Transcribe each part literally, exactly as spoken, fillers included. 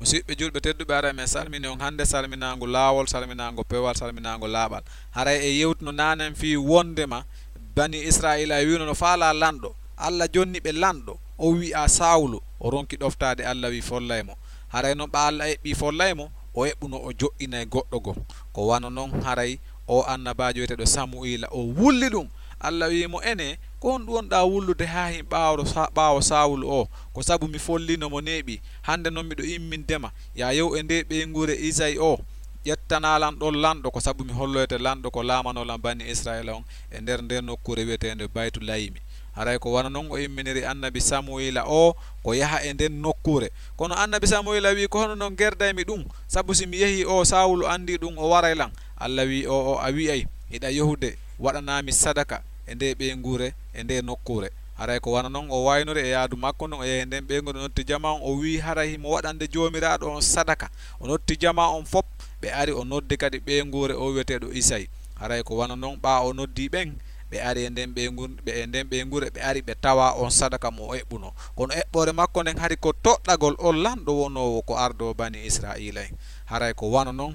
Musidɓe julɓe tedduɓe, haray men salmini on hannde salminaango laawol, salminaango pewal, salminaango laaɓal. Haray e yewtuno naanen fii wondema bani Israa'iila e wiino no faalaa lanɗo. Alla jonni ɓe lanɗo, o wi'a Saawulu, o ronki ɗoftaade, Alla wi'i follay mo. Haray non ɓa Alla eɓɓii follay mo, o eɓɓuno o jo'inay goɗɗo goo. Ko wano non haray o annabaajo wi'eteeɗo Samu'iila o wulli ɗum. Alla wi'i mo, enee, ko honɗum wonɗaa wullude haa hin ɓaawo Sa-, ɓaawo Saawulu o? Ko sabu mi folliino mo neeɓii. Hannde non miɗo imminde ma, yaa yehu e ndee ɓeynguure Isayi o, ƴettanaa lan ɗon lanɗo, ko sabu mi holloyte lanɗo ko laamanoo lan bani Israa'iila on e nder ndee nokkuure wi'eteende Baytulayimi. Haray ko wano non o imminiri annabi Samu'iila o ko yaha e nden nokkuure. Kono annabi Samu'iila wi'i, ko hono non gerdaymi ɗum, sabu si mi yehii o Saawulu anndii ɗum o waray lan. Alla wi'i, o'o a wi'ay, hiɗa yehude waɗanaa mi sadaka e ndee ɓeynguure, e ndee nokkuure. Haray ko wano non o waynori e yaadu makko ndun, o yehi e nden ɓeynguure, o noddi jamaa on, o wi'i haray himo waɗande Joomiraaɗo on sadaka. O noddi jamaa on fow, ɓe ari, o noddi kadi ɓeynguure o wi'eteeɗo Isayi. Haray ko wano non ɓa o noddi ɓen, ɓe ari e nden ɓeynguure, ɓe e nden ɓeynguure, ɓe ari ɓe tawa on sadaka mo o eɓɓunoo. Kono eɓɓoore makko nden hari ko toɗɗagol on lanɗo wonoowo ko ardoo bani Israa'iila en. Haray ko wano non,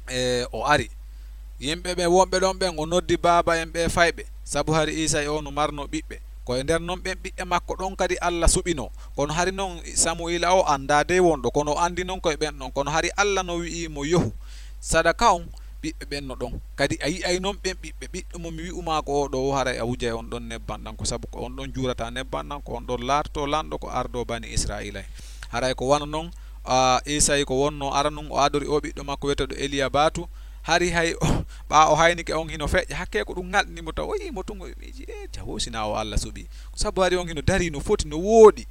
e, o ari. Yimɓe ɓen wonɓe ɗon ɓen, o noddi baaba en ɓe fayɓe, sabu hari Isayi o no marnoo ɓiɓɓe. Ko e nder non ɓen ɓiɓɓe makko ɗon kadi Alla suɓinoo. Kono hari non Samu'iila o anndaa dey wonɗo, kono o anndi non ko e ɓen ɗon. Kono hari Alla no wi'i mo, yehu, sadaka on, ɓiɓɓe ɓen no ɗon. Kadi a yi'ay non ɓen ɓiɓɓe, ɓiɗɗo mo mi wi'u maa ko oo ɗoo, haray a wujay on ɗon nebban ɗan, ko sabu ko on ɗon juurata nebban ɗan, ko on ɗon laatotoo lanɗo ko ardoo bani Israa'iila en. Haray ko wano non, a, Isayi ko wonnoo aranun, o adori oo ɓiɗɗo makko wi'eteeɗo Eliyabatu. Hari hay o, ɓaa o haynike on hino feƴƴa, hakkee ko ɗum ŋalɗini mo taw. O yi'i mo tun, o miiji, e, jawoo, si hinaa o Alla suɓii. Ko sabu hari on hino darii no foti, no wooɗi.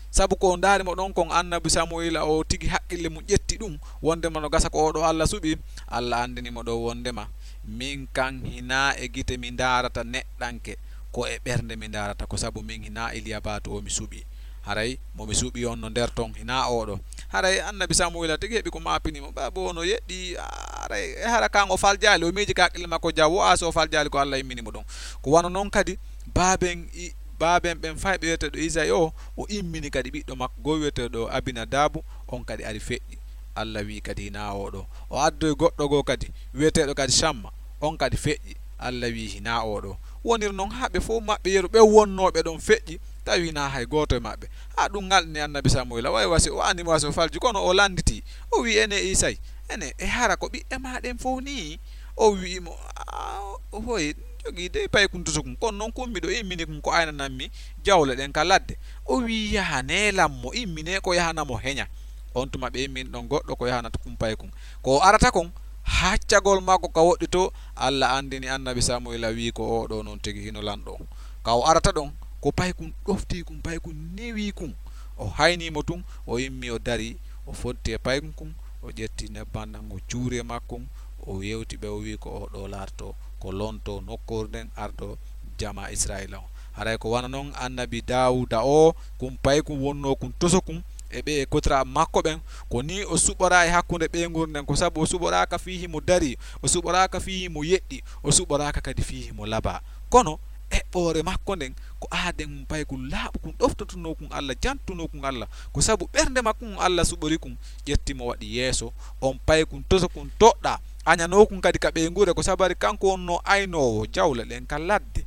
Sabu ko o ndaari mo ɗon kon, annabi Samu'iila o tigi haqqille mun ƴetti ɗum, wondema no gasa ko oo ɗoo Alla suɓii. Alla anndini mo ɗon wondema, min kan hinaa e gite mi ndaarata neɗɗanke, ko e ɓernde mi ndaarata, ko sabu min hinaa Eliyabatu o mi suɓii. Haray mo mi suɓii on no nder ton, hinaa oo ɗoo. Haray annabi Samu'iila tigi heɓi ko maapini mo. Baaba o no yeɗɗi, haray e hara kan o faljaali, o miiji ka haqqille makko, jawoo, a, si o faljaali ko Alla immini mo ɗon. Ko wano non kadi baaben i-, baaben ɓen fayɓe wi'eteeɗo Isayi o, o immini kadi ɓiɗɗo makko goo wi'eteeɗo Abinadaabu, on kadi ari feƴƴi. Alla wi'i kadi hinaa oo ɗoo. O addoyi goɗɗo goo kadi, wi'eteeɗo kadi Camma, on kadi feƴƴi. Alla wi'i hinaa oo ɗoo. Woniri non haa ɓe fow maɓɓe yeru, ɓen wonnooɓe ɗon feƴƴi, tawi hinaa hay gooto e maɓɓe. Haa ɗum ŋalɗini annabi Samu'iila, way wa si o anndi mo, wa si o falji, kono o lannditii. O wi'i, enee Isayi, enee, e hara ko ɓiɓɓe maa ɗen fow nii? O wi'i mo, a, hoy, jogii dey paykun tosokun, kono non kun miɗo immini kun ko aynanammi jawle ɗen ka ladde. O wi'i, yahanee lan mo, imminee ko yahana mo heña. On tuma ɓe immini ɗon goɗɗo ko yahanata kun paykun. Ko o arata kon, haccagol makko ka woɗɗitoo, Alla anndini annabi Samu'iila, wi'i ko oo ɗoo non tigi hino lanɗo on. Ka o arata ɗon, ko paykun ɗoftii kun, paykun newii kun. O haynii mo tun, o immii o darii, o foddi e paykun kun, o ƴetti nebban ɗan, o juuri e makkun, o yewti ɓe, o wi'i ko oo ɗoo laatotoo ko lontoo nokkuure nden, ardoo jamaa Israa'iila on. Haray ko wano non annabi Daawuuda o, kun paykun wonnoo kun tosokun, e ɓe e kotiraaɓe makko ɓen, ko nii o suɓoraa e hakkunde ɓeynguure nden, ko sabu o suɓoraaka fii himo darii, o suɓoraaka fii himo yeɗɗi, o suɓoraaka kadi fii himo labaa. Kono eɓɓoore makko nden, ko aaden paykun laaɓukun, ɗoftotonoo kun Alla, jantunoo kun Alla, ko sabu ɓernde makko ngun Alla suɓori kun, ƴetti mo waɗi yeeso on paykun tosokun toɗɗaa, añanoo kun kadi ka ɓeynguure, ko sabu hari kanko wonnoo aynoowo jawle ɗen ka ladde.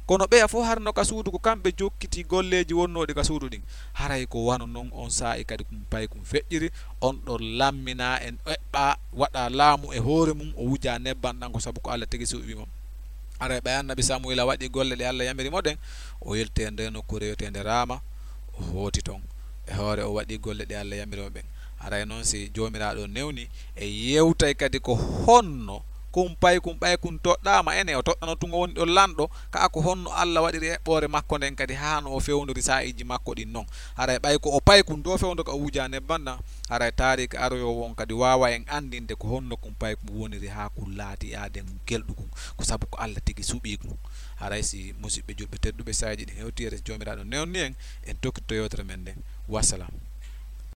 Kono ɓeya fow hari no ka suudu, ko kamɓe jokkitii golleeji wonnooɗi ka suudu ɗin. Haray ko wano non on saa'i kadi kun paykun feƴƴiri, on ɗon lamminaa, en eɓɓaa, waɗaa laamu e hoore mun, o wujaa nebban ɗan, ko sabu ko Alla tigi suɓii mo. Haray ɓay annabi Samu'iila waɗii golle ɗe Alla yamiri mo ɗen, o yilti e ndee nokkuure wi'eteende Raama, o hooti ton. E hoore o waɗii golle ɗe Alla yamiri mo ɓen. Haray non si Joomiraaɗo newni, en yewtay kadi ko honno kun paykun, ɓay kun toɗɗaama, enee o toɗɗano tun o woni ɗon lanɗo, kaa ko honno Alla waɗiri eɓɓoore makko nden kadi haa no o fewndori saa'iiji makko ɗin non. Haray ɓay ko o paykun, ɗoo fewndo ka o wujaa nebban ɗan, haray taariika aroyoowo on kadi waawa en anndinde ko honno kun paykun woniri haa kun laati aaden kelɗukun, ko sabu ko Alla tigi suɓii kun. Haray si musiɓɓe julɓe tedduɓe, saa'iiji ɗin hewtii, enen Joomiraaɗo newni en, en tokkitto yewtere men nden. Wassalam.